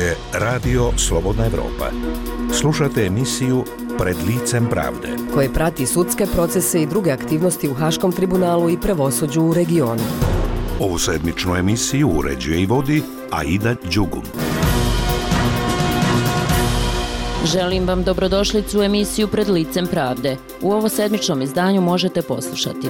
je Radio Slobodna Evropa. Slušate emisiju Pred licem pravde, koje prati sudske procese i druge aktivnosti u Haškom tribunalu i pravosuđu u regionu. Ovu sedmičnu emisiju uređuje i vodi Aida Đugum. Želim vam dobrodošlicu u emisiju Pred licem pravde. U ovo sedmičnom izdanju možete poslušati: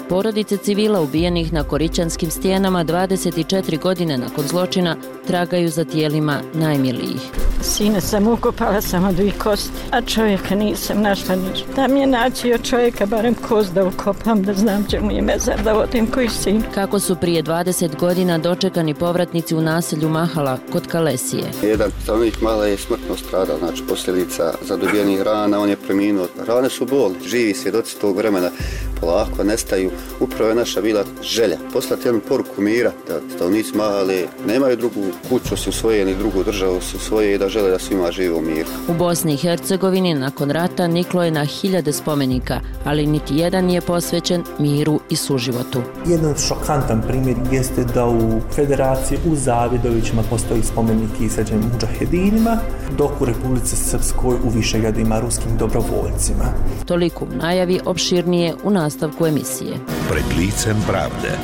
porodice civila ubijenih na Korićanskim stijenama 24 godine nakon zločina tragaju za tijelima najmilijih. Sine sam ukopala samo 2 kosti, a čovjeka nisam našla ništa. Da mi je naći od čovjeka barem kost da ukopam, da znam gdje mu je mezar, da vodim koji sin. Kako su prije 20 godina dočekani povratnici u naselju Mahala kod Kalesije. Jedan stanovnik Mahala je smrtno stradao, znači posljedica zadobijenih rana, on je preminuo. Rane su bolne, živi svjedoci tog vremena polako nestaju. Upravo je naša bila želja poslati jednu poruku mira, da stanovnici Mahale nemaju drugu kuću su svoje, ni drugu državu su svoje i da žele da svima žive u miru. U Bosni i Hercegovini nakon rata niklo je na hiljade spomenika, ali niti jedan nije posvećen miru i suživotu. Jedan šokantan primjer jeste da u Federaciji u Zavidovićima postoji spomenik izrađen mudžahedinima, dok u Republici Srpskoj u Višegradima ruskim dobrovoljcima. Toliko u najavi, opširnije u nastavku emisije. Pred licem pravde.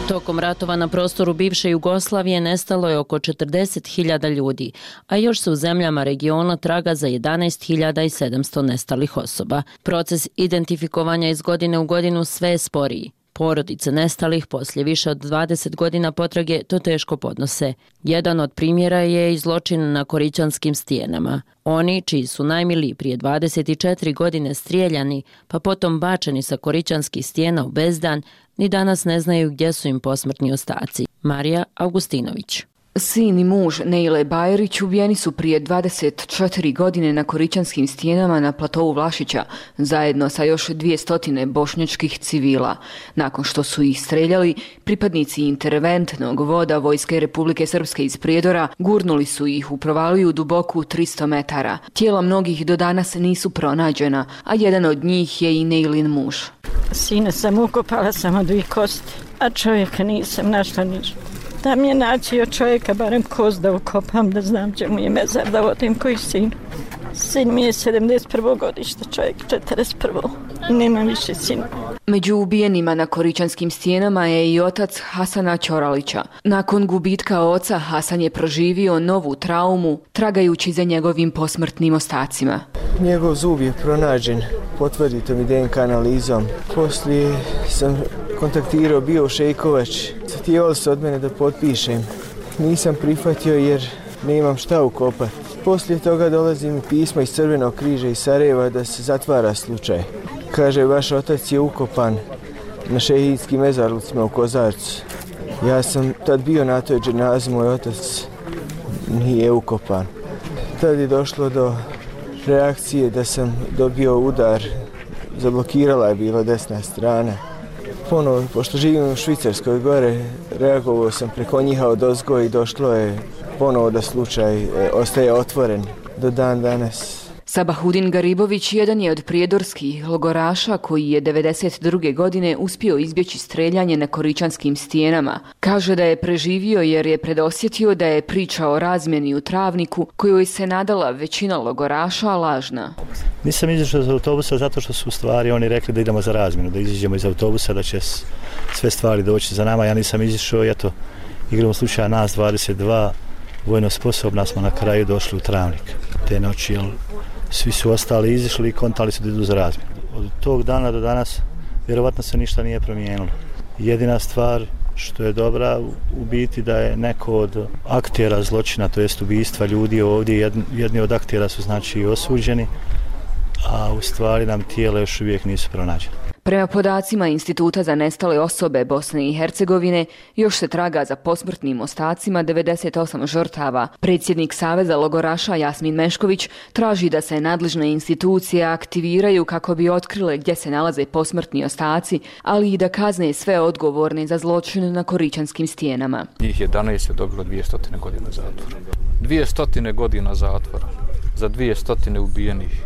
Tokom ratova na prostoru bivše Jugoslavije nestalo je oko 40.000 ljudi, a još se u zemljama regiona traga za 11.700 nestalih osoba. Proces identifikovanja iz godine u godinu sve je sporiji. Porodice nestalih poslije više od 20 godina potrage to teško podnose. Jedan od primjera je i zločin na Korićanskim stijenama. Oni, čiji su najmiliji prije 24 godine strijeljani, pa potom bačeni sa Korićanskih stijena u bezdan, ni danas ne znaju gdje su im posmrtni ostaci. Marija Augustinović. Sin i muž Nejle Bajerić ubijeni su prije 24 godine na Korićanskim stijenama na platovu Vlašića, zajedno sa još 200 bošnjačkih civila. Nakon što su ih streljali, pripadnici interventnog voda Vojske Republike Srpske iz Prijedora gurnuli su ih u provaliju duboku 300 metara. Tijela mnogih do danas nisu pronađena, a jedan od njih je i Nejlin muž. Sine sam ukopala samo 2 kosti, a čovjeka nisam našla ništa. Da mi je naći od čovjeka barem kost da ukopam, da znam gdje mu je mezar, da vodim koji sin. Sin mi je 71. godište, čovjek 41. I nema više sina. Među ubijenima na Korićanskim stijenama je i otac Hasana Ćoralića. Nakon gubitka oca, Hasan je proživio novu traumu, tragajući za njegovim posmrtnim ostacima. Njegov zub je pronađen potvrditom i DNK analizom. Poslije sam kontaktirao bio Šejkovač. Htjeli su od mene da potpišem. Nisam prihvatio jer nemam šta ukopati. Poslije toga dolazi mi pismo iz Crvenog križa iz Sarajeva da se zatvara slučaj. Kaže, vaš otac je ukopan na šehidskim mezarlucima u Kozarcu. Ja sam tad bio na toj dženazi, moj otac nije ukopan. Tad je došlo do reakcije da sam dobio udar, zablokirala je bila desna strana. Ponovo, pošto živim u Švicarskoj gore, reagovao sam preko njiha odozgo i došlo je ponovo da slučaj ostaje otvoren do dan danas. Sabahudin Garibović jedan je od prijedorskih logoraša koji je 92. godine uspio izbjeći streljanje na Korićanskim stijenama. Kaže da je preživio jer je predosjetio da je priča o razmjeni u Travniku, kojoj se nadala većina logoraša, lažna. Nisam izašao iz autobusa zato što su u stvari oni rekli da idemo za razmjenu, da izađemo iz autobusa, da će sve stvari doći za nama. Ja nisam izašao i eto, igramo slučaja nas 22, vojno sposobna smo na kraju došli u Travnik te noći, jer svi su ostali izišli i kontali su da idu za razmjenu. Od tog dana do danas vjerovatno se ništa nije promijenilo. Jedina stvar što je dobra u biti da je neko od aktera zločina, to jest ubistva ljudi ovdje, jedni od aktera su znači i osuđeni, a u stvari nam tijela još uvijek nisu pronađene. Prema podacima Instituta za nestale osobe Bosne i Hercegovine, još se traga za posmrtnim ostacima 98 žrtava. Predsjednik Saveza logoraša Jasmin Mešković traži da se nadležne institucije aktiviraju kako bi otkrile gdje se nalaze posmrtni ostaci, ali i da kazne sve odgovorne za zločin na Korićanskim stijenama. Njih 11 je dobilo 200 godina zatvora. 200 godina zatvora za 200 ubijenih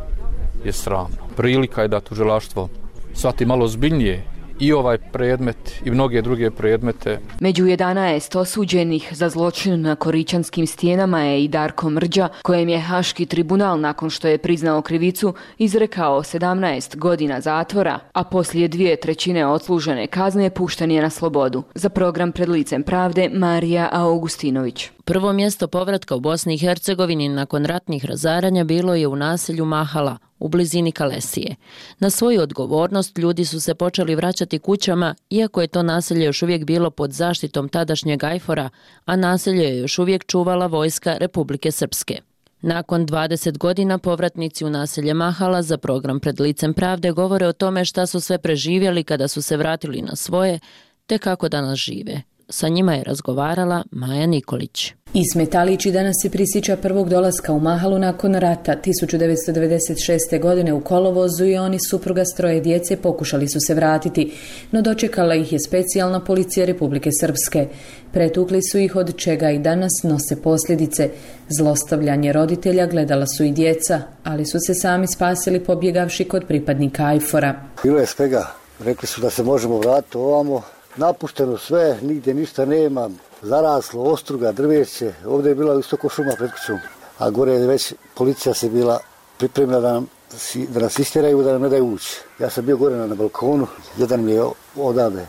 je sramno. Prilika je da tužilaštvo shvati malo zbiljnije i ovaj predmet i mnoge druge predmete. Među 11 osuđenih za zločin na Koričanskim stijenama je i Darko Mrđa, kojem je Haški tribunal nakon što je priznao krivicu izrekao 17 godina zatvora, a poslije 2/3 odslužene kazne pušten je na slobodu. Za program Pred licem pravde Marija Augustinović. Prvo mjesto povratka u Bosni i Hercegovini nakon ratnih razaranja bilo je u naselju Mahala, u blizini Kalesije. Na svoju odgovornost ljudi su se počeli vraćati kućama, iako je to naselje još uvijek bilo pod zaštitom tadašnjeg Ajfora, a naselje je još uvijek čuvala vojska Republike Srpske. Nakon 20 godina povratnici u naselje Mahala za program Pred licem pravde govore o tome šta su sve preživjeli kada su se vratili na svoje, te kako danas žive. Sa njima je razgovarala Maja Nikolić. Ismet Alići danas se prisjeća prvog dolaska u Mahalu nakon rata. 1996. godine u kolovozu i oni supruga s 3 djece pokušali su se vratiti, no dočekala ih je specijalna policija Republike Srpske. Pretukli su ih, od čega i danas nose posljedice. Zlostavljanje roditelja gledala su i djeca, ali su se sami spasili pobjegavši kod pripadnika Ajfora. Bilo je svega. Rekli su da se možemo vratiti ovamo. Napušteno sve, nigdje ništa nema, zaraslo, ostruga, drveće, ovdje je bila isto šuma pred kućom, a gore je već policija se bila pripremila da nas istjeraju, da nam ne daju ući. Ja sam bio gore na balkonu, jedan mi je odavde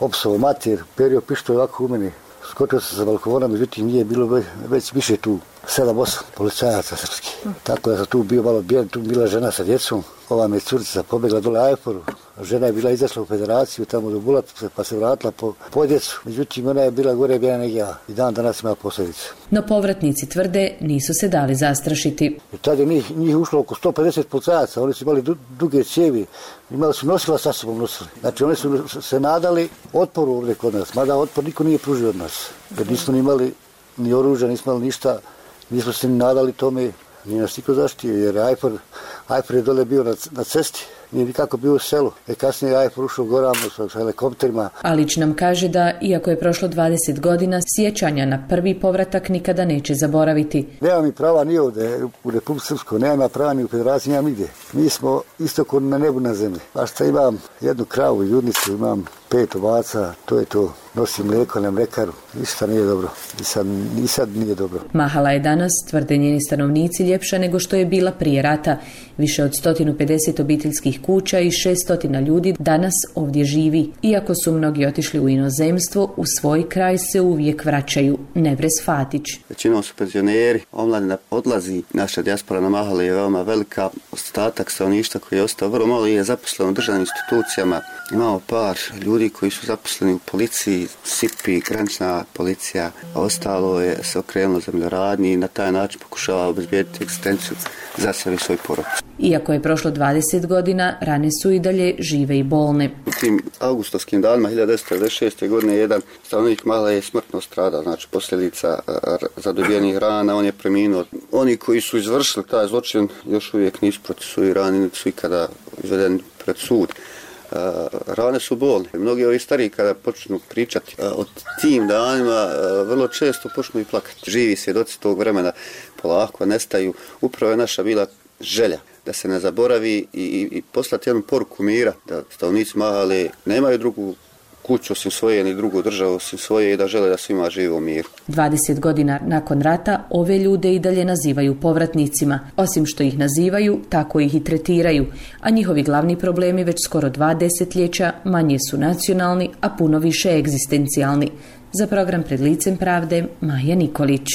opsovao mater, perio pištolj ovako u meni, skočio sam sa balkona, međutim nije bilo već više tu 7-8 policajaca srpskih. Tako da sam tu bio malo bijen, tu bila žena sa djecom, ova mi je curica pobjegla dole Ajforu. Žena je bila izašla u federaciju, tamo do Bulat, pa se vratila po djecu. Međutim, ona je bila gore bijena nego ja. I dan danas ima posljedice. No povratnici tvrde nisu se dali zastrašiti. I tad je njih ušlo oko 150 policajaca, oni su imali duge cijevi, imali su nosila sa sobom nosili. Znači oni su se nadali otporu ovdje kod nas, mada otpor niko nije pružio od nas. Jer nismo imali ni oružja, nismo imali ništa, nismo se ni nadali tome, nije nas niko zaštio, jer Ajfor je dole bio na cesti. Nije nikako bio u selu. Kasnije je Ajfor ušao gorama sa helikopterima. Alić nam kaže da, iako je prošlo 20 godina, sjećanja na prvi povratak nikada neće zaboraviti. Nema mi prava ni ovdje u Republike Srpskoj, nema prava ni u Federaciji, nema nigdje. Mi smo isto kod na nebu na zemlji. Pa šta imam jednu kravu, judnicu, imam 5 ovaca, to je to. Nosim mlijeko na mlekaru, ništa nije dobro. Ni sad nije dobro. Mahala je danas, tvrde njeni stanovnici, ljepša nego što je bila prije rata. Više od 150 obiteljskih kuća i 600 ljudi danas ovdje živi. Iako su mnogi otišli u inozemstvo, u svoj kraj se uvijek vraćaju. Nevres Fatić. Većinom su penzioneri, omladina odlazi. Naša dijaspora na Mahali je veoma velika. Ostatak stanovništva koji je ostao vrlo malo je zaposleno u državnim institucijama. Imamo par ljudi koji su zaposleni u policiji, SIP-i, granična policija, a ostalo je se okrenulo zemljoradnji i na taj način pokušava obezbijediti egzistenciju za sebe i svoj porod. Iako je prošlo 20 godina, rane su i dalje žive i bolne. U tim augustovskim danima 1996. godine jedan stanovnik Mahala je smrtno stradao, znači posljedica zadobijenih rana, on je preminuo. Oni koji su izvršili taj zločin još uvijek nisu procesuirani, niti su ikada izvedeni pred sud. Rane su bolne. Mnogi ovi stariji kada počnu pričati o tim danima, vrlo često počnu i plakati. Živi svjedoci tog vremena polako nestaju. Upravo je naša bila želja da se ne zaboravi i poslati jednu poruku mira, da stanovnici Mahale nemaju drugu kuću osim svoje, ni drugu državu osim svoje i da žele da svima žive u miru. 20 godina nakon rata ove ljude i dalje nazivaju povratnicima. Osim što ih nazivaju, tako ih i tretiraju, a njihovi glavni problemi već skoro 2 desetljeća manje su nacionalni, a puno više egzistencijalni. Za program Pred licem pravde Maja Nikolić.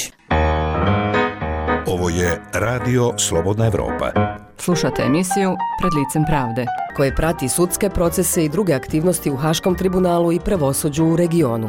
Ovo je Radio Slobodna Evropa. Slušate emisiju Pred licem pravde, koje prati sudske procese i druge aktivnosti u Haškom tribunalu i pravosuđu u regionu.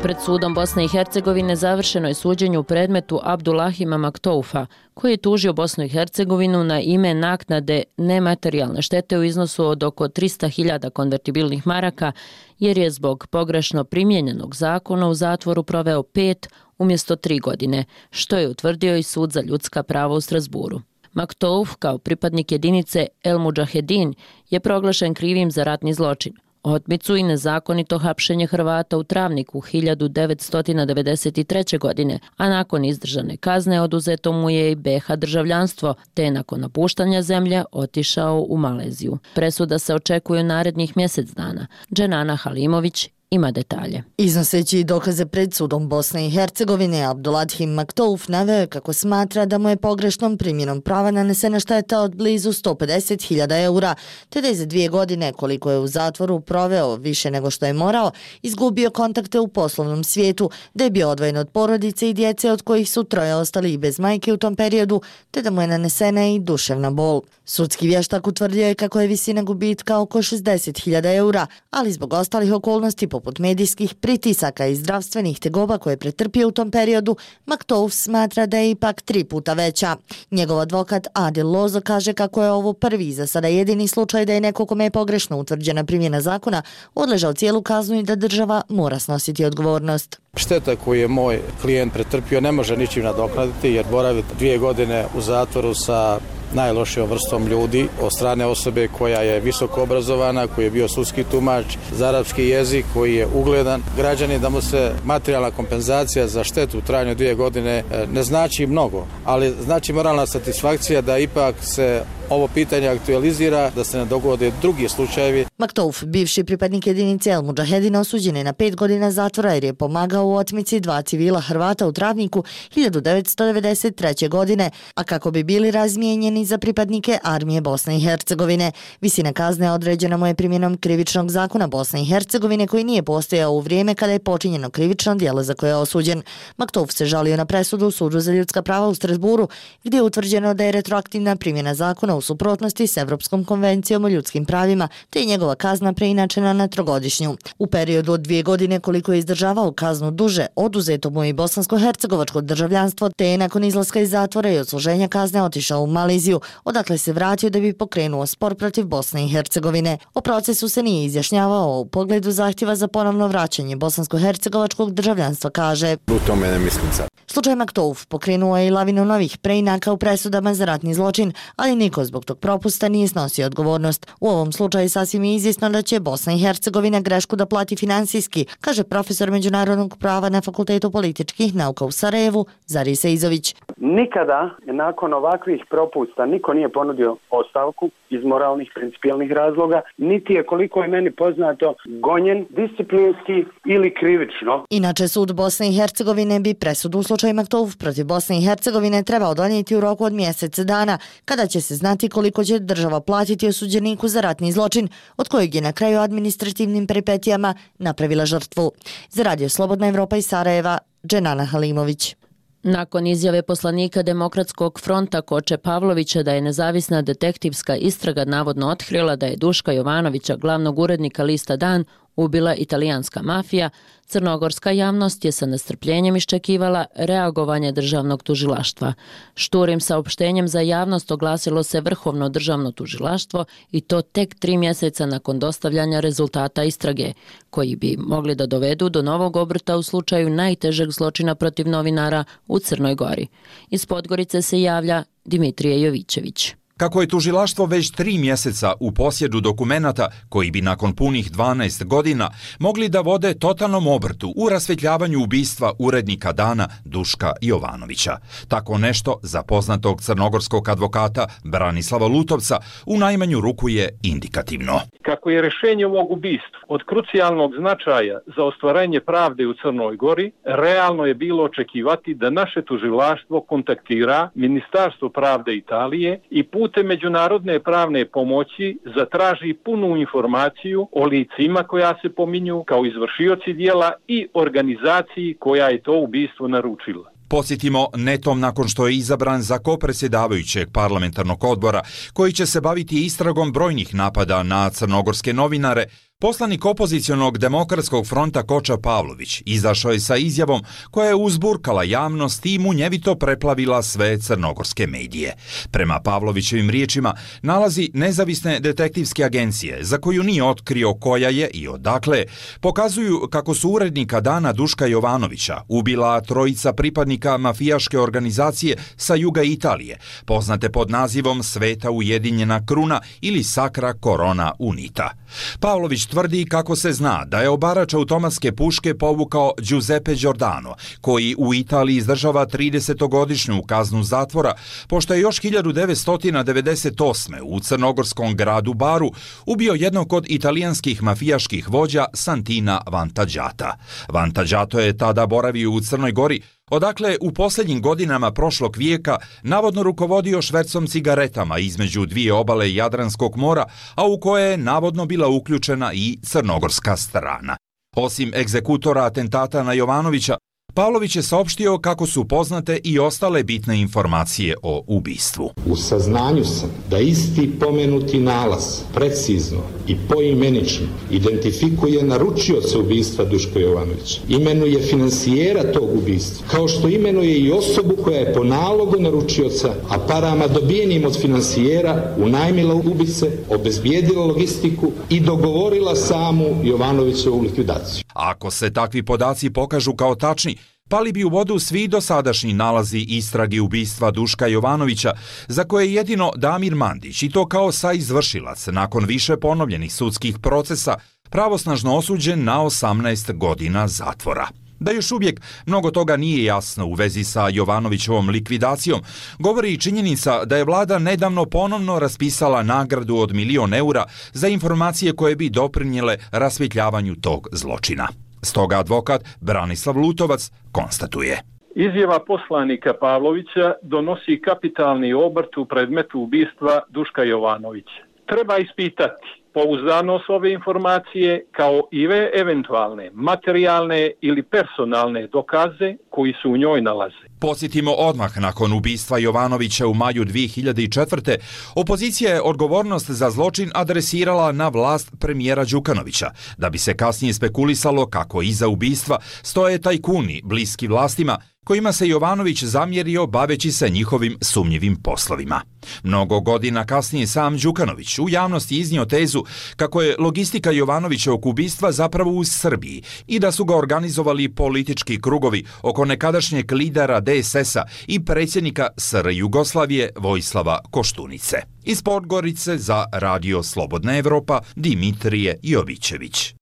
Pred sudom Bosne i Hercegovine završeno je suđenje u predmetu Abdulahima Maktoufa, koji je tužio Bosnu i Hercegovinu na ime naknade nematerijalne štete u iznosu od oko 300.000 konvertibilnih maraka, jer je zbog pogrešno primijenjenog zakona u zatvoru proveo 5 umjesto 3 godine, što je utvrdio i Sud za ljudska prava u Strasburu. Maktouf, kao pripadnik jedinice El Mudžahedin, je proglašen krivim za ratni zločin. otmicu i nezakonito hapšenje Hrvata u Travniku 1993. godine, a nakon izdržane kazne oduzeto mu je i BiH državljanstvo, te nakon napuštanja zemlje otišao u Maleziju. Presuda se očekuje narednih mjesec dana. Dženana Halimović ima detalje. Iznoseći dokaze pred sudom Bosne i Hercegovine, Abduladhim Maktouf naveo je kako smatra da mu je pogrešnom primjenom prava nanesena šteta od blizu 150.000 eura, te da je za 2 godine, koliko je u zatvoru proveo više nego što je morao, izgubio kontakte u poslovnom svijetu, da je bio odvojen od porodice i djece od kojih su 3 ostali i bez majke u tom periodu, te da mu je nanesena i duševna bol. Sudski vještak utvrdio je kako je visina gubitka oko 60.000 eura, ali zbog ostalih okolnosti poput medijskih pritisaka i zdravstvenih tegoba koje je pretrpio u tom periodu, Maktouf smatra da je ipak 3 puta veća. Njegov advokat Adil Lozo kaže kako je ovo prvi za sada jedini slučaj da je neko kome je pogrešno utvrđena primjena zakona odležao cijelu kaznu i da država mora snositi odgovornost. Šteta koju je moj klijent pretrpio ne može ničim nadoknaditi jer boravi 2 godine u zatvoru sa najlošijom vrstom ljudi od strane osobe koja je visoko obrazovana, koji je bio sudski tumač za arapski jezik, koji je ugledan građanin, da mu se materijalna kompenzacija za štetu u trajanju 2 godine ne znači mnogo, ali znači moralna satisfakcija da ipak se ovo pitanje aktualizira, da se ne dogode drugi slučajevi. Maktouf, bivši pripadnik jedinice El Mudžahedina, osuđen je na 5 godina zatvora jer je pomagao u otmici 2 civila Hrvata u Travniku 1993. godine, a kako bi bili razmijenjeni za pripadnike armije Bosne i Hercegovine. Visina kazne određena mu je primjenom krivičnog zakona Bosne i Hercegovine koji nije postojao u vrijeme kada je počinjeno krivično djelo za koje je osuđen. Maktouf se žalio na presudu u Sudu za ljudska prava u Strasburu, gdje je utvrđeno da je retroaktivna primjena zakona u suprotnosti s Evropskom konvencijom o ljudskim pravima, te je njegova kazna preinačena na 3-godišnju. U periodu od 2 godine koliko je izdržavao kaznu duže, oduzeto mu je bosansko-hercegovačko državljanstvo, te je nakon izlaska iz zatvora i odsluženja kazne otišao u Maleziju, odakle se vratio da bi pokrenuo spor protiv Bosne i Hercegovine. O procesu se nije izjašnjavao u pogledu zahtjeva za ponovno vraćanje bosansko-hercegovačkog državljanstva, kaže. U tome ne mislim sad. Slučaj Maktouf pokrenuo je i lavinu novih preinaka u presudama za ratni zločin, ali niko zbog tog propusta nije snosio odgovornost. U ovom slučaju sasvim je izvjesno da će Bosna i Hercegovina grešku da plati finansijski, kaže profesor međunarodnog prava na Fakultetu političkih nauka u Sarajevu, Zari Seizović. Nikada nakon ovakvih propusta niko nije ponudio ostavku iz moralnih, principijelnih razloga, niti je, koliko je meni poznato, gonjen disciplinski ili krivično. Inače, sud Bosne i Hercegovine bi presudu u slučaju Maktouf protiv Bosne i Hercegovine trebao donijeti u roku od mjesec dana, kada će se znati koliko će država platiti osuđeniku za ratni zločin, od kojeg je na kraju administrativnim peripetijama napravila žrtvu. Za Radio Slobodna Evropa iz Sarajeva, Dženana Halimović. Nakon izjave poslanika Demokratskog fronta Koče Pavlovića da je nezavisna detektivska istraga navodno otkrila da je Duška Jovanovića, glavnog urednika lista Dan, ubila italijanska mafija, crnogorska javnost je sa nestrpljenjem iščekivala reagovanje državnog tužilaštva. Šturim saopštenjem za javnost oglasilo se Vrhovno državno tužilaštvo i to tek 3 mjeseca nakon dostavljanja rezultata istrage, koji bi mogli da dovedu do novog obrta u slučaju najtežeg zločina protiv novinara u Crnoj Gori. Iz Podgorice se javlja Dimitrije Jovićević. Kako je tužilaštvo već 3 mjeseca u posjedu dokumenata koji bi nakon punih 12 godina mogli da vode totalnom obrtu u rasvjetljavanju ubistva urednika Dana Duška Jovanovića. Tako nešto za poznatog crnogorskog advokata Branislava Lutovca u najmanju ruku je indikativno. Kako je rješenje ovog ubistva od krucijalnog značaja za ostvarenje pravde u Crnoj Gori, realno je bilo očekivati da naše tužilaštvo kontaktira Ministarstvo pravde Italije i putem međunarodne pravne pomoći zatraži punu informaciju o licima koja se pominju kao izvršioci djela i organizaciji koja je to ubistvo naručila. Podsjetimo, netom nakon što je izabran za kopredsjedavajućeg parlamentarnog odbora koji će se baviti istragom brojnih napada na crnogorske novinare, poslanik opozicionog Demokratskog fronta Koča Pavlović izašao je sa izjavom koja je uzburkala javnost i munjevito preplavila sve crnogorske medije. Prema Pavlovićevim riječima, nalazi nezavisne detektivske agencije, za koju nije otkrio koja je i odakle, pokazuju kako su urednika Dana Duška Jovanovića ubila 3 pripadnika mafijaške organizacije sa juga Italije, poznate pod nazivom Sveta ujedinjena kruna ili Sacra Corona Unita. Pavlović tvrdi kako se zna da je obarač automatske puške povukao Giuseppe Giordano, koji u Italiji izdržava 30-godišnju kaznu zatvora, pošto je još 1998. u crnogorskom gradu Baru ubio jednog od italijanskih mafijaških vođa Santina Vantagiata. Vantagiato je tada boravio u Crnoj Gori, odakle u posljednjim godinama prošlog vijeka navodno rukovodio švercom cigaretama između dvije obale Jadranskog mora, a u koje je navodno bila uključena i crnogorska strana. Osim egzekutora atentata na Jovanovića, Pavlović je saopštio kako su poznate i ostale bitne informacije o ubistvu. U saznanju sam da isti pomenuti nalaz precizno i poimenično identifikuje naručioca ubistva Duška Jovanovića, imenuje finansijera tog ubistva, kao što imenuje i osobu koja je po nalogu naručioca, a parama dobijenim od finansijera unajmila ubice, obezbijedila logistiku i dogovorila samu Jovanovićevu likvidaciju. Ako se takvi podaci pokažu kao tačni, pali bi u vodu svi dosadašnji nalazi istrage ubistva Duška Jovanovića, za koje je jedino Damir Mandić, i to kao saizvršilac, nakon više ponovljenih sudskih procesa, pravosnažno osuđen na 18 godina zatvora. Da još uvijek mnogo toga nije jasno u vezi sa Jovanovićevom likvidacijom, govori i činjenica da je vlada nedavno ponovno raspisala nagradu od 1.000.000 eura za informacije koje bi doprinijele rasvjetljavanju tog zločina. Stoga advokat Branislav Lutovac konstatuje. Izjava poslanika Pavlovića donosi kapitalni obrt u predmetu ubistva Duška Jovanovića. Treba ispitati pouzdanost ove informacije kao i eventualne materijalne ili personalne dokaze koji su u njoj nalaze. Podsjetimo, odmah nakon ubistva Jovanovića u maju 2004. opozicija je odgovornost za zločin adresirala na vlast premijera Đukanovića, da bi se kasnije spekulisalo kako iza ubistva stoje tajkuni bliski vlastima, kojima se Jovanović zamjerio baveći se njihovim sumnjivim poslovima. Mnogo godina kasnije sam Đukanović u javnosti iznio tezu kako je logistika Jovanovićevog ubistva zapravo u Srbiji i da su ga organizovali politički krugovi oko nekadašnjeg lidera DSS-a i predsjednika SR Jugoslavije Vojislava Koštunice. Iz Podgorice za Radio Slobodna Evropa, Dimitrije Jovićević.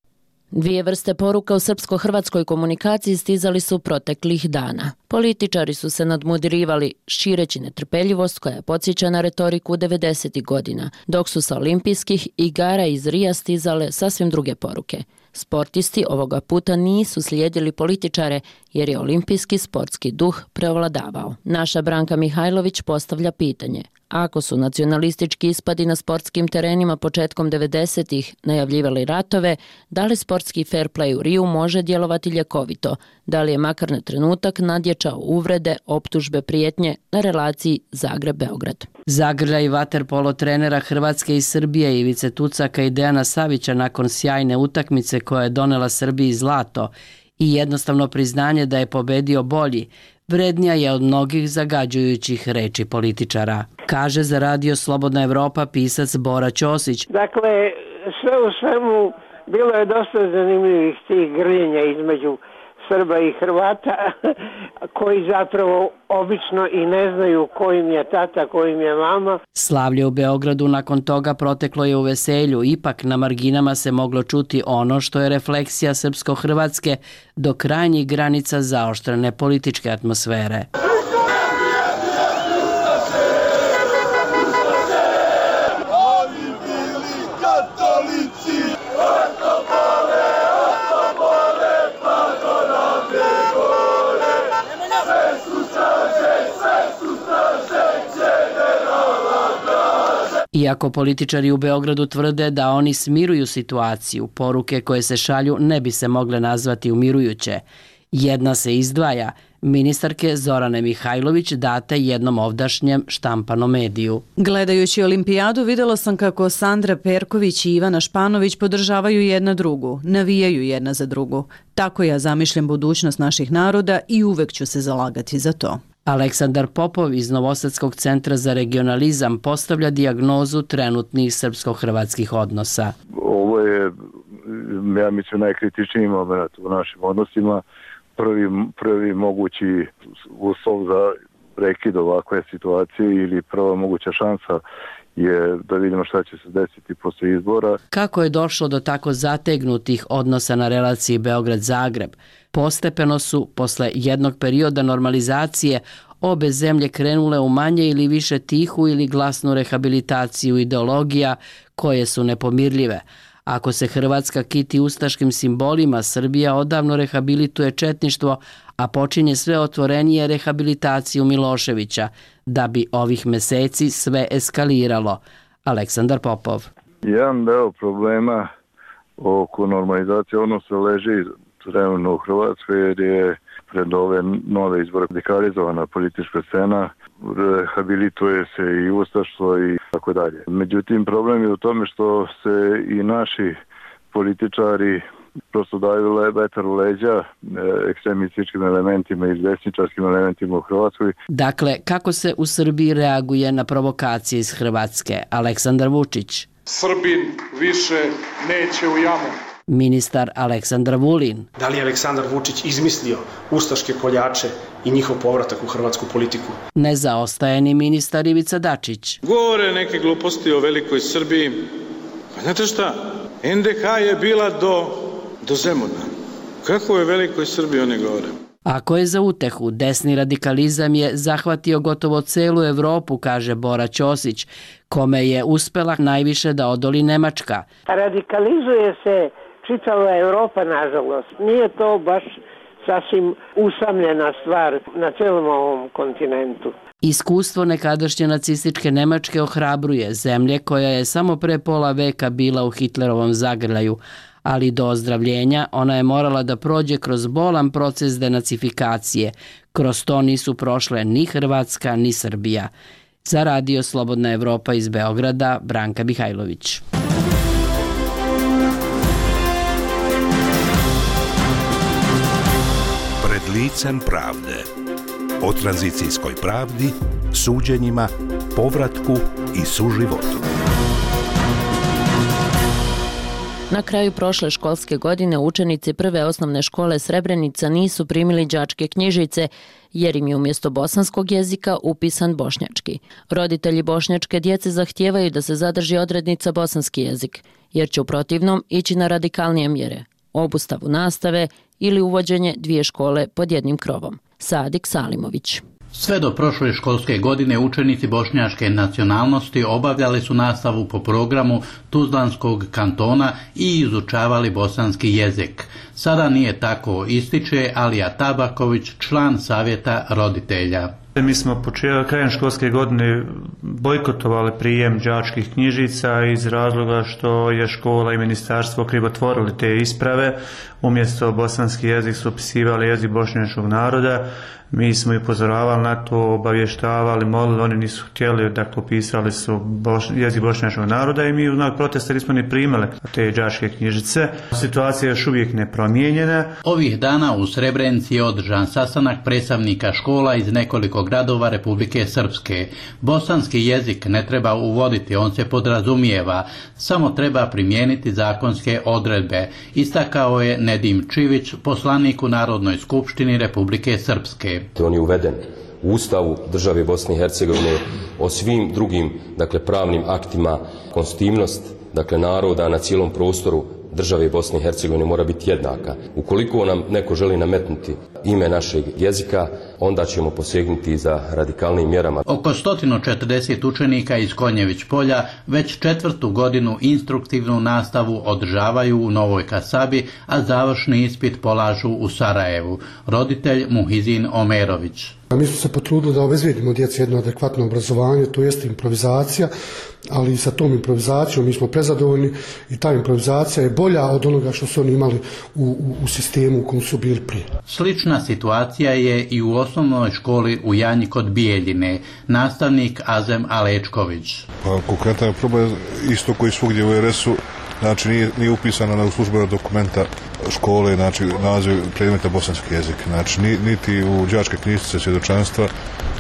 Dvije vrste poruka u srpsko-hrvatskoj komunikaciji stizali su proteklih dana. Političari su se nadmudirivali šireći netrpeljivost koja podsjeća na retoriku 90. godina, dok su sa olimpijskih igara iz Rija stizale sasvim druge poruke. Sportisti ovoga puta nisu slijedili političare jer je olimpijski sportski duh preovladavao. Naša Branka Mihajlović postavlja pitanje: ako su nacionalistički ispadi na sportskim terenima početkom 90-ih najavljivali ratove, da li sportski fair play u Riju može djelovati ljekovito? Da li je makar na trenutak nadjačao uvrede, optužbe, prijetnje na relaciji Zagreb-Beograd? Zagrljaj vaterpolo trenera Hrvatske i Srbije Ivice Tucaka i Dejana Savića nakon sjajne utakmice koja je donela Srbiji zlato i jednostavno priznanje da je pobedio bolji, vrednija je od mnogih zagađujućih reči političara, kaže za Radio Slobodna Evropa pisac Bora Ćosić. Dakle, sve u svemu bilo je dosta zanimljivih tih grljenja između Srba i Hrvata koji zapravo obično i ne znaju ko im je tata, ko im je mama. Slavlje u Beogradu nakon toga proteklo je u veselju, ipak na marginama se moglo čuti ono što je refleksija srpsko-hrvatske do krajnjih granica zaoštrene političke atmosfere. Iako političari u Beogradu tvrde da oni smiruju situaciju, poruke koje se šalju ne bi se mogle nazvati umirujuće. Jedna se izdvaja, ministarke Zorane Mihajlović date jednom ovdašnjem štampanom mediju. Gledajući olimpijadu vidjela sam kako Sandra Perković i Ivana Španović podržavaju jedna drugu, navijaju jedna za drugu. Tako ja zamišljam budućnost naših naroda i uvek ću se zalagati za to. Aleksandar Popov iz Novosadskog centra za regionalizam postavlja dijagnozu trenutnih srpsko-hrvatskih odnosa. Ovo je, ja mislim, najkritičniji moment u našim odnosima. Prvi mogući uslov za prekid ovakve situacije ili prva moguća šansa je da vidimo šta će se desiti posle izbora. Kako je došlo do tako zategnutih odnosa na relaciji Beograd-Zagreb? Postepeno su, posle jednog perioda normalizacije, obe zemlje krenule u manje ili više tihu ili glasnu rehabilitaciju ideologija koje su nepomirljive. Ako se Hrvatska kiti ustaškim simbolima, Srbija odavno rehabilituje četništvo, a počinje sve otvorenije rehabilitaciju Miloševića, da bi ovih meseci sve eskaliralo. Aleksandar Popov. Jedan deo problema oko normalizacije odnosa leži trenutno u Hrvatskoj, jer je pred ove nove izbore radikalizovana politička scena, rehabilituje se i ustaštvo i tako dalje. Međutim, problem je u tome što se i naši političari prosto daju vetar u leđa ekstremističkim elementima i desničarskim elementima u Hrvatskoj. Dakle, kako se u Srbiji reaguje na provokacije iz Hrvatske? Aleksandar Vučić. Srbin više neće u jamu. Ministar Aleksandar Vulin. Da li je Aleksandar Vučić izmislio ustaške koljače i njihov povratak u hrvatsku politiku? Ne zaostaje ni ministar Ivica Dačić. Govore neke gluposti o velikoj Srbiji. Pa znate šta? NDH je bila do Zemuna. Kako je velikoj Srbiji oni govore? Ako je za utehu, desni radikalizam je zahvatio gotovo celu Evropu, kaže Bora Ćosić, kome je uspela najviše da odoli Nemačka. Radikalizuje se čitava Evropa, nažalost. Nije to baš sasvim usamljena stvar na celom ovom kontinentu. Iskustvo nekadašnje nacističke Nemačke ohrabruje, zemlje koja je samo pre pola veka bila u Hitlerovom zagrljaju, ali do ozdravljenja ona je morala da prođe kroz bolan proces denacifikacije. Kroz to nisu prošle ni Hrvatska ni Srbija. Za Radio Slobodna Evropa iz Beograda, Branka Mihajlović. Pred licem pravde. O tranzicijskoj pravdi, suđenjima, povratku i suživotu. Na kraju prošle školske godine učenici prve osnovne škole Srebrenica nisu primili đačke knjižice jer im je umjesto bosanskog jezika upisan bošnjački. Roditelji bošnjačke djece zahtijevaju da se zadrži odrednica bosanski jezik, jer će u protivnom ići na radikalnije mjere, obustavu nastave ili uvođenje dvije škole pod jednim krovom. Sadik Salimović. Sve do prošle školske godine učenici bošnjačke nacionalnosti obavljali su nastavu po programu Tuzlanskog kantona i izučavali bosanski jezik. Sada nije tako, ističe Alija Tabaković, član savjeta roditelja. Mi smo krajem školske godine bojkotovali prijem đačkih knjižica iz razloga što je škola i ministarstvo krivotvorili te isprave. Umjesto bosanski jezik su upisivali jezik bošnjačkog naroda. Mi smo ih upozoravali na to, obavještavali, molili, oni nisu htjeli, dakle upisali su jezik bošnjačkog naroda i mi u znak protesta nismo ni primali te đačke knjižice. Situacija je još uvijek nepromijenjena. Ovih dana u Srebrenici je održan sastanak predstavnika škola iz nekoliko gradova Republike Srpske. Bosanski jezik ne treba uvoditi, on se podrazumijeva, samo treba primijeniti zakonske odredbe, istakao je Nedim Čivić, poslanik u Narodnoj skupštini Republike Srpske. On je uveden u Ustavu države Bosne i Hercegovine, o svim drugim pravnim aktima. Konstitutivnost naroda na cijelom prostoru države Bosne i Hercegovine mora biti jednaka. Ukoliko nam neko želi nametnuti ime našeg jezika, onda ćemo posegnuti za radikalnim mjerama. Oko 140 učenika iz Konjević polja već 4. godinu instruktivnu nastavu održavaju u Novoj Kasabi, a završni ispit polažu u Sarajevu. Roditelj Muhizin Omerović. Mi smo se potrudili da obezbijedimo djeci jedno adekvatno obrazovanje, to jest improvizacija, ali sa tom improvizacijom mi smo prezadovoljni i ta improvizacija je bolja od onoga što su oni imali u sistemu u kom su bili prije. Slična situacija je i u osnovnoj školi u Janji kod Bijeljine. Nastavnik Azem Alečković. Konkretan je problem isto koji svugdje u RS-u, znači nije upisana na službena dokumenta škole, znači naziv predmeta bosanski jezik, znači niti u đačke knjižice svjedočanstva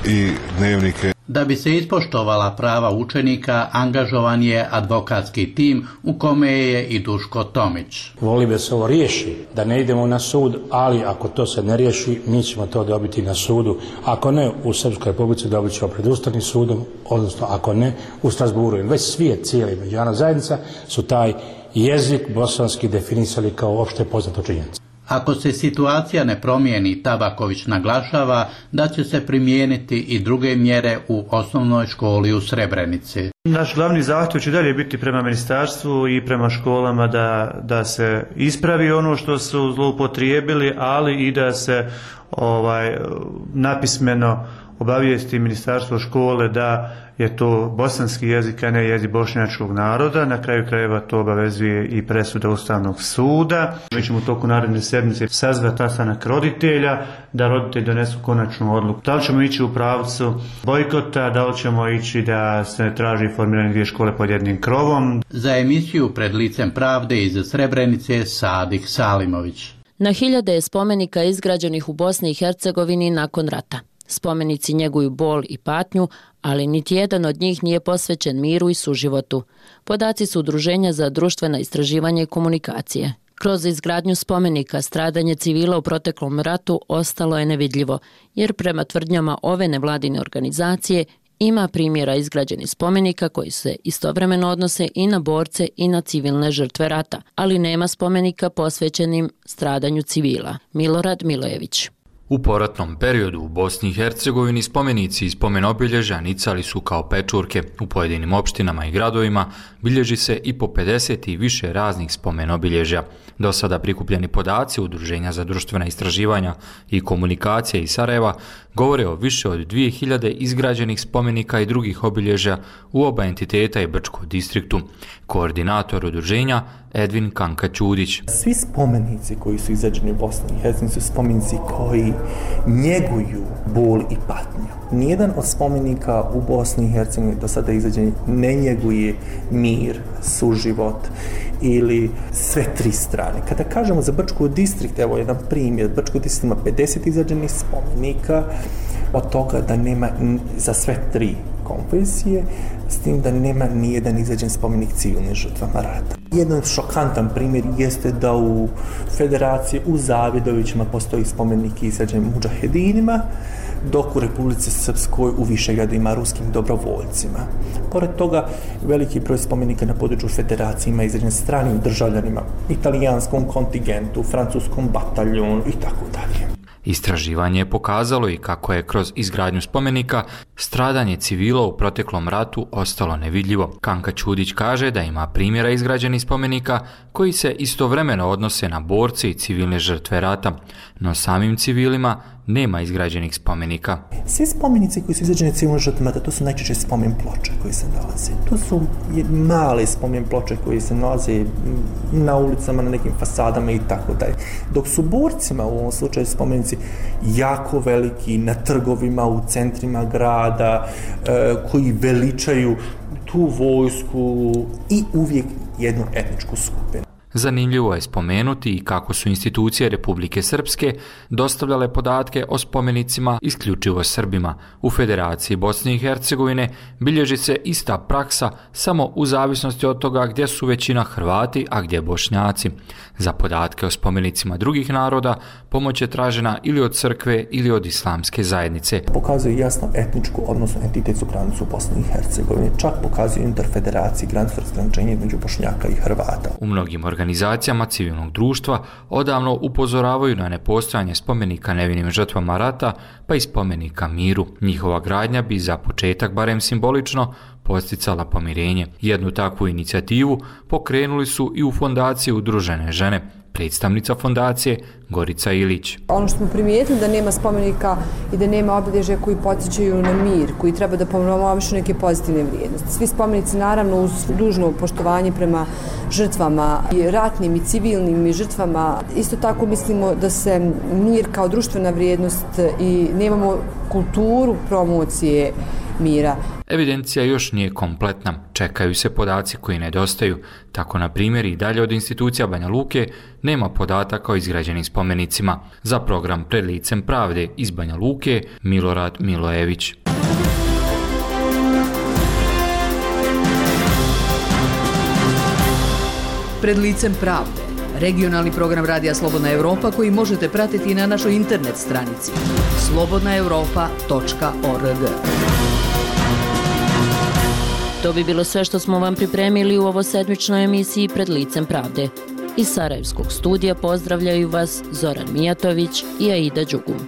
i dnevnike. Da bi se ispoštovala prava učenika, angažovan je advokatski tim u kome je i Duško Tomić. Voli da se ovo riješi, da ne idemo na sud, ali ako to se ne riješi, mi ćemo to dobiti na sudu. Ako ne, u Srpskoj Republici dobit ćemo pred Ustavnim sudom, odnosno ako ne, u Strasburu. Već svijet, cijeli međunarodna zajednica su taj jezik bosanski definisali kao opšte poznato činjenica. Ako se situacija ne promijeni, Tabaković naglašava da će se primijeniti i druge mjere u osnovnoj školi u Srebrenici. Naš glavni zahtjev će dalje biti prema ministarstvu i prema školama da se ispravi ono što su zloupotrijebili, ali i da se napismeno obavijesti ministarstvo škole da je to bosanski jezik, a ne jezik bošnjačkog naroda. Na kraju krajeva to obavezuje i presuda Ustavnog suda. Mi ćemo u toku naredne sedmice sazvati sastanak roditelja, da roditelji donesu konačnu odluku. Da li ćemo ići u pravcu bojkota, da li ćemo ići da se traži formiranje dvije škole pod jednim krovom. Za emisiju Pred licem pravde iz Srebrenice Sadik Salimović. Na hiljade je spomenika izgrađenih u Bosni i Hercegovini nakon rata. Spomenici njeguju bol i patnju, ali niti jedan od njih nije posvećen miru i suživotu. Podaci su Udruženja za društvena istraživanja i komunikacije. Kroz izgradnju spomenika stradanje civila u proteklom ratu ostalo je nevidljivo, jer prema tvrdnjama ove nevladine organizacije ima primjera izgrađenih spomenika koji se istovremeno odnose i na borce i na civilne žrtve rata, ali nema spomenika posvećenim stradanju civila. Milorad Milojević. U poratnom periodu u Bosni i Hercegovini spomenici i spomenobilježja nicali su kao pečurke. U pojedinim opštinama i gradovima bilježi se i po 50 i više raznih spomenobilježja. Do sada prikupljeni podaci Udruženja za društvena istraživanja i komunikacije iz Sarajeva govore o više od 2000 izgrađenih spomenika i drugih obilježja u oba entiteta i Brčkom distriktu. Koordinator udruženja Edvin Kanka-Ćudić. Svi spomenici koji su izgrađeni u Bosni i Hercegovini su spomenici koji njeguju bol i patnju. Nijedan od spomenika u Bosni i Hercegovini do sada izgrađeni ne njeguje mir, suživot ili sve tri strane. Kada kažemo za Brčki distrikt, evo jedan primjer, Brčki distrikt ima 50 izgrađenih spomenika, od toga da nema za sve tri konfesije, s tim da nema nijedan izgrađen spomenik civilnim žrtvama rata. Jedan šokantan primjer jeste da u Federaciji u Zavidovićima postoji spomenik izgrađen mudžahedinima, dok u Republici Srpskoj u Višegradima ruskim dobrovoljcima. Pored toga, veliki broj spomenika na području Federacije ima izgrađen stranim državljanima, italijanskom kontingentu, francuskom bataljonu i tako dalje. Istraživanje je pokazalo i kako je kroz izgradnju spomenika stradanje civila u proteklom ratu ostalo nevidljivo. Kanka-Ćudić kaže da ima primjera izgrađenih spomenika koji se istovremeno odnose na borce i civilne žrtve rata, no samim civilima nema izgrađenih spomenika. Svi spomenici koji su izgrađeni civilnim žrtvama rata, to su najčešće spomen ploče koji se nalaze. To su male spomen ploče koji se nalaze na ulicama, na nekim fasadama i tako dalje. Dok su borcima u ovom slučaju spomenici jako veliki na trgovima, u centrima grada, koji veličaju tu vojsku i uvijek jednu etničku skupinu. Zanimljivo je spomenuti i kako su institucije Republike Srpske dostavljale podatke o spomenicima isključivo Srbima. U Federaciji Bosne i Hercegovine bilježi se ista praksa samo u zavisnosti od toga gdje su većina Hrvati, a gdje Bošnjaci. Za podatke o spomenicima drugih naroda pomoć je tražena ili od crkve ili od islamske zajednice. Pokazuje jasno etničku, odnosno entitetsku granicu u Bosni i Hercegovini. Čak pokazuje unutar Federacije granicu razgraničenja između Bošnjaka i Hrvata. U mnogim organizacijama civilnog društva odavno upozoravaju na nepostojanje spomenika nevinim žrtvama rata, pa i spomenika miru. Njihova gradnja bi za početak, barem simbolično, posticala pomirenje. Jednu takvu inicijativu pokrenuli su i u fondaciji Udružene žene. Predstavnica fondacije Gorica Ilić. Ono što smo primijetili da nema spomenika i da nema obilježja koji podsjećaju na mir, koji treba da promovišu neke pozitivne vrijednosti. Svi spomenici naravno uz dužno poštovanje prema žrtvama i ratnim i civilnim i žrtvama. Isto tako mislimo da se mir kao društvena vrijednost i nemamo kulturu promocije mira. Evidencija još nije kompletna. Čekaju se podaci koji nedostaju. Tako, na primjer, i dalje od institucija Banja Luke nema podataka o izgrađenim spomenicima. Za program Pred licem pravde iz Banja Luke, Milorad Milojević. Pred licem pravde, regionalni program Radija Slobodna Evropa koji možete pratiti i na našoj internet stranici slobodnaevropa.org. To bi bilo sve što smo vam pripremili u ovo sedmičnoj emisiji Pred licem pravde. Iz Sarajevskog studija pozdravljaju vas Zoran Mijatović i Aida Đugum.